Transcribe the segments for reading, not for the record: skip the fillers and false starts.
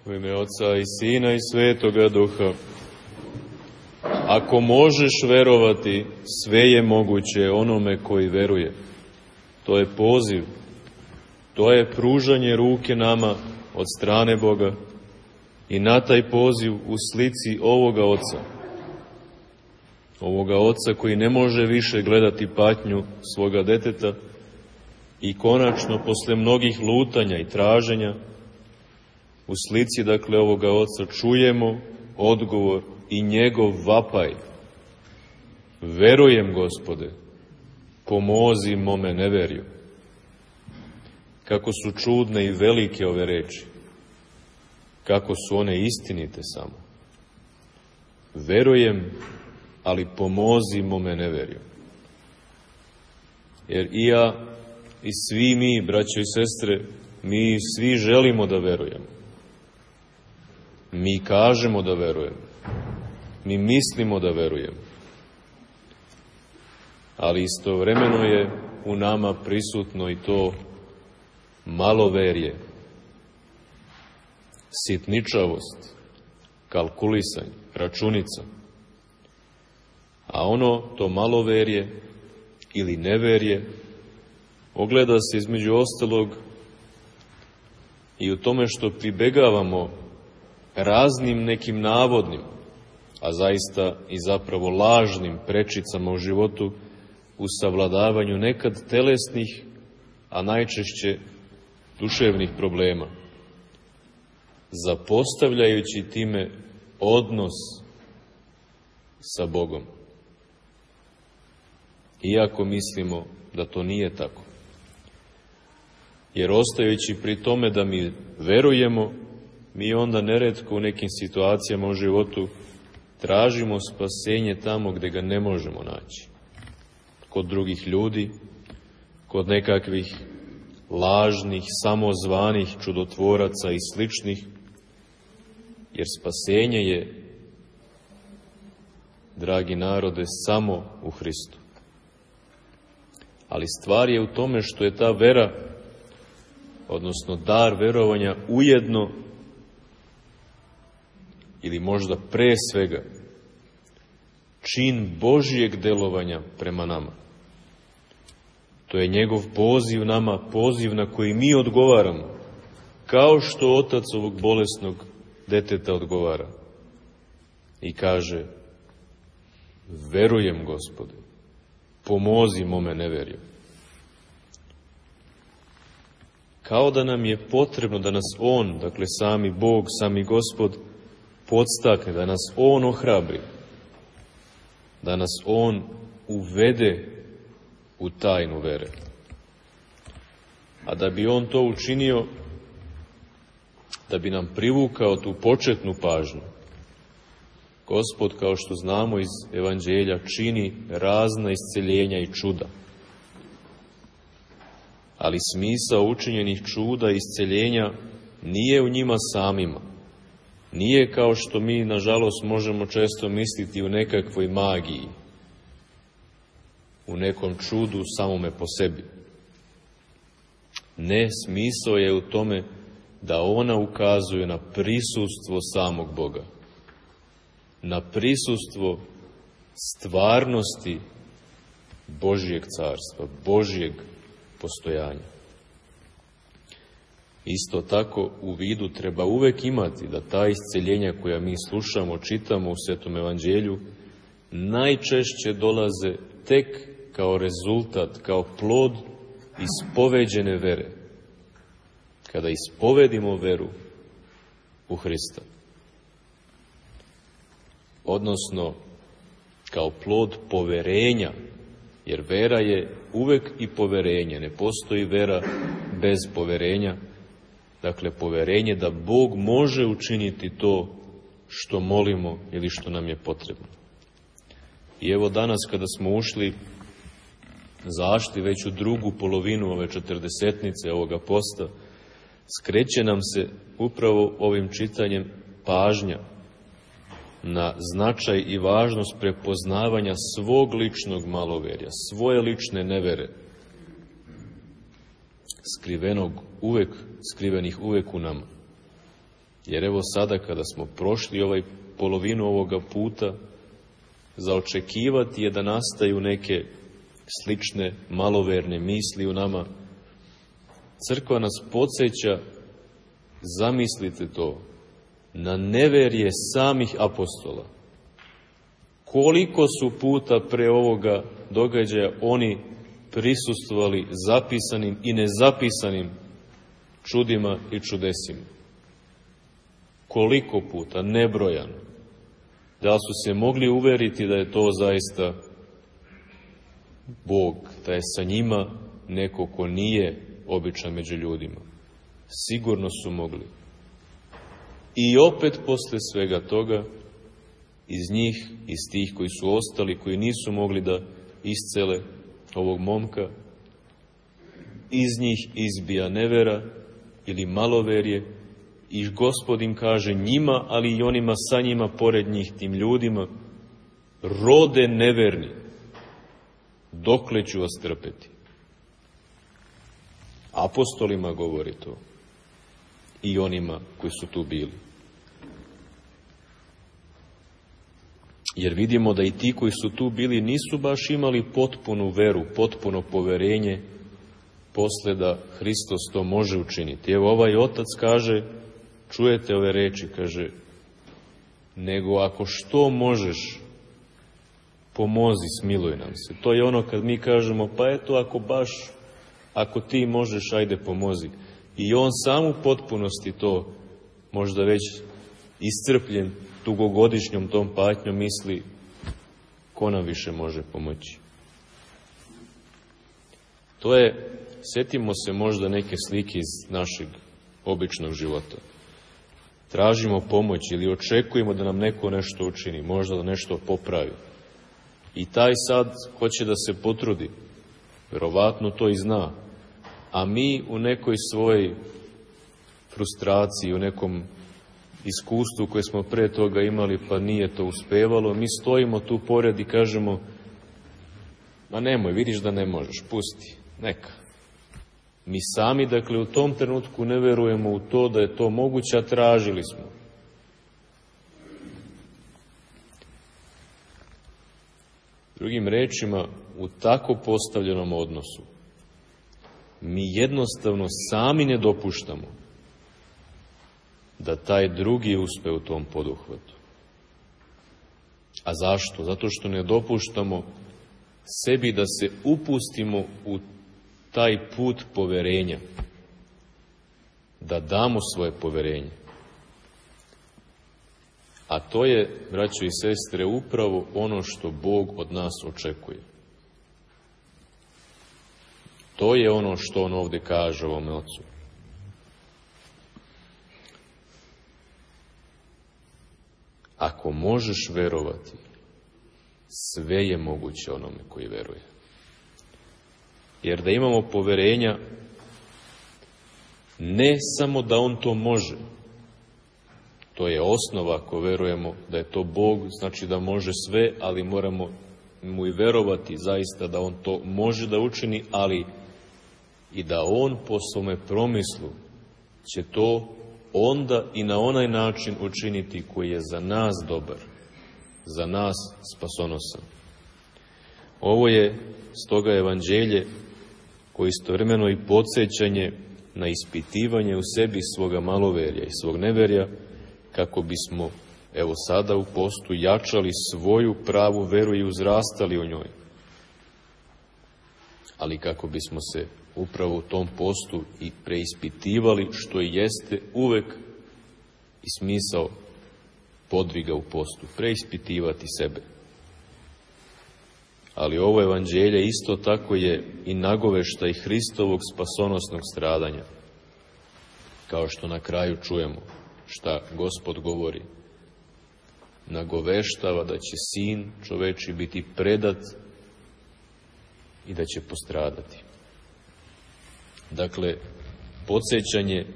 U ime Oca i Sina i Svetoga Duha. Ako možeš verovati, sve je moguće onome koji veruje. To je poziv, to je pružanje ruke nama od strane Boga i na taj poziv u slici ovoga Oca koji ne može više gledati patnju svoga deteta i konačno, posle mnogih lutanja i traženja, u slici, dakle, ovoga Oca čujemo odgovor i njegov vapaj. Verujem, Gospode, pomozi mome neverju. Kako su čudne i velike ove reči. Kako su one istinite samo. Verujem, ali pomozi mome neverju. Jer i ja i svi mi, braćo i sestre, mi svi želimo da verujemo. Mi kažemo da verujemo. Mi mislimo da verujemo. Ali istovremeno je u nama prisutno i to maloverje, sitničavost, kalkulisanje, računica. A to maloverje ili neverje ogleda se između ostalog i u tome što pribegavamo raznim nekim navodnim, a zaista i zapravo lažnim prečicama u životu u savladavanju nekad telesnih, a najčešće duševnih problema, zapostavljajući time odnos sa Bogom. Iako mislimo da to nije tako. Jer ostajući pri tome da mi verujemo, mi onda neretko u nekim situacijama u životu tražimo spasenje tamo gde ga ne možemo naći. Kod drugih ljudi, kod nekakvih lažnih, samozvanih čudotvoraca i sličnih, jer spasenje je, dragi narode, samo u Hristu. Ali stvar je u tome što je ta vera, odnosno dar verovanja, ujedno ili možda pre svega čin Božijeg delovanja prema nama. To je njegov poziv nama, poziv na koji mi odgovaramo, kao što otac ovog bolesnog deteta odgovara i kaže: verujem, Gospode, pomozi mome neverju. Kao da nam je potrebno da nas On, dakle sami Bog, sami Gospod, podstakne, da nas On ohrabri, da nas On uvede u tajnu vere. A da bi On to učinio, da bi nam privukao tu početnu pažnju, Gospod, kao što znamo iz Evanđelja, čini razna isceljenja i čuda. Ali smisao učinjenih čuda i isceljenja nije u njima samima. Nije kao što mi, nažalost, možemo često misliti u nekakvoj magiji, u nekom čudu samome po sebi. Ne, smisao je u tome da ona ukazuje na prisustvo samog Boga, na prisustvo stvarnosti Božijeg carstva, Božijeg postojanja. Isto tako u vidu treba uvek imati da ta isceljenja koja mi slušamo, čitamo u Svetom Evanđelju, najčešće dolaze tek kao rezultat, kao plod ispoveđene vere. Kada ispovedimo veru u Hrista. Odnosno, kao plod poverenja, jer vera je uvek i poverenje. Ne postoji vera bez poverenja. Dakle, poverenje da Bog može učiniti to što molimo ili što nam je potrebno. I evo danas kada smo zašli već u drugu polovinu ove 40-nice ovoga posta, skreće nam se upravo ovim čitanjem pažnja na značaj i važnost prepoznavanja svog ličnog maloverja, svoje lične nevere, skrivenih uvek u nama. Jer evo sada kada smo prošli polovinu ovoga puta, za očekivati je da nastaju neke slične maloverne misli u nama. Crkva nas podsjeća, zamislite to, na neverje samih apostola. Koliko su puta pre ovoga događaja oni prisustvovali zapisanim i nezapisanim čudima i čudesima. Koliko puta, nebrojano. Da su se mogli uveriti da je to zaista Bog, da je sa njima neko ko nije običan među ljudima. Sigurno su mogli. I opet posle svega toga, iz njih, iz tih koji su ostali, koji nisu mogli da iscele ovog momka, iz njih izbija nevera ili maloverje i Gospod im kaže njima, ali i onima sa njima, pored njih, tim ljudima, rode neverni, dokle ću vas trpeti? Apostolima govori to i onima koji su tu bili. Jer vidimo da i ti koji su tu bili nisu baš imali potpunu veru, potpuno poverenje posle da Hristos to može učiniti. Evo ovaj otac kaže, čujete ove reči, kaže, nego ako što možeš, pomozi, smiluj nam se. To je ono kad mi kažemo, pa eto ako ti možeš, ajde pomozi. I on sam u potpunosti to, možda već iscrpljen dugogodišnjom tom patnjom, misli, ko nam više može pomoći. To je, sjetimo se možda neke slike iz našeg običnog života. Tražimo pomoć ili očekujemo da nam neko nešto učini, možda da nešto popravi. I taj sad hoće da se potrudi, verovatno to i zna, a mi u nekoj svojoj frustraciji, u nekom iskustvu koje smo pre toga imali, pa nije to uspevalo, mi stojimo tu pored i kažemo, ma nemoj, vidiš da ne možeš, pusti, neka. Mi sami, dakle, u tom trenutku ne verujemo u to da je to moguće, a tražili smo. Drugim rečima, u tako postavljenom odnosu, mi jednostavno sami ne dopuštamo da taj drugi uspe u tom poduhvatu. A zašto? Zato što ne dopuštamo sebi da se upustimo u taj put poverenja, da damo svoje poverenje. A to je, braćo i sestre, upravo ono što Bog od nas očekuje. To je ono što on ovdje kaže ovome ocu. Ako možeš verovati, sve je moguće onome koji veruje. Jer da imamo poverenja, ne samo da on to može, to je osnova ako verujemo da je to Bog, znači da može sve, ali moramo mu i verovati zaista da on to može da učini, ali i da on po svome promislu će to onda i na onaj način učiniti koji je za nas dobar, za nas spasonosan. Ovo je stoga evanđelje koje istovremeno i podsjećanje na ispitivanje u sebi svoga maloverja i svog neverja, kako bismo, evo sada u postu, jačali svoju pravu veru i uzrastali u njoj. Ali kako bismo se upravo u tom postu i preispitivali, što i jeste uvek i smisao podviga u postu, preispitivati sebe. Ali ovo evanđelje isto tako je i nagoveštaj Hristovog spasonosnog stradanja. Kao što na kraju čujemo šta Gospod govori. Nagoveštava da će sin čoveči biti predat i da će postradati. Dakle, podsjećanje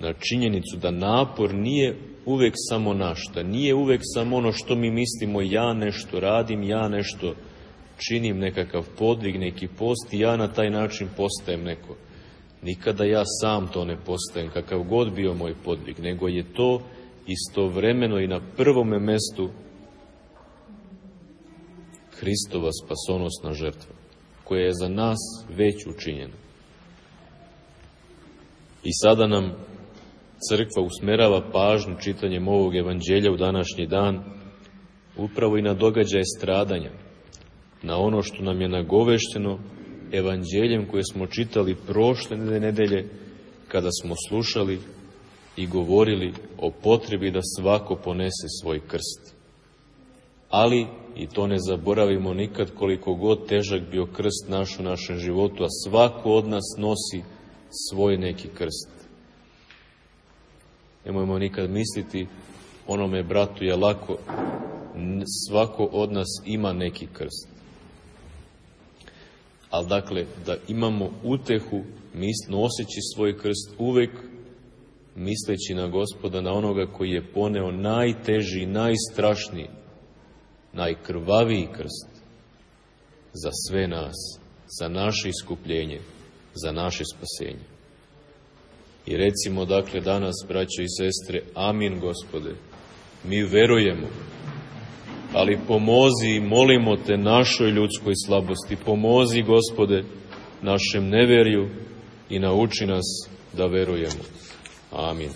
na činjenicu da napor nije uvek samo naš, da nije uvek samo ono što mi mislimo, ja nešto radim, ja nešto činim, nekakav podvig, neki post i ja na taj način postajem neko. Nikada ja sam to ne postajem, kakav god bio moj podvig, nego je to istovremeno i na prvome mestu Hristova spasonosna žrtva, koja je za nas već učinjena. I sada nam crkva usmerava pažnju čitanjem ovog evanđelja u današnji dan upravo i na događaje stradanja, na ono što nam je nagovešteno evanđeljem koje smo čitali prošle nedelje kada smo slušali i govorili o potrebi da svako ponese svoj krst. Ali, i to ne zaboravimo nikad, koliko god težak bio krst naš u našem životu, a svako od nas nosi svoj neki krst. Nemojmo nikad misliti onome bratu je lako, svako od nas ima neki krst. Ali dakle, da imamo utehu noseći svoj krst, uvek misleći na Gospoda, na onoga koji je poneo najteži, najstrašniji, najkrvaviji krst za sve nas, za naše iskupljenje, za naše spasenje. I recimo dakle danas, braćo i sestre, amin Gospode, mi verujemo, ali pomozi i molimo te našoj ljudskoj slabosti, pomozi Gospode našem neverju i nauči nas da verujemo. Amin.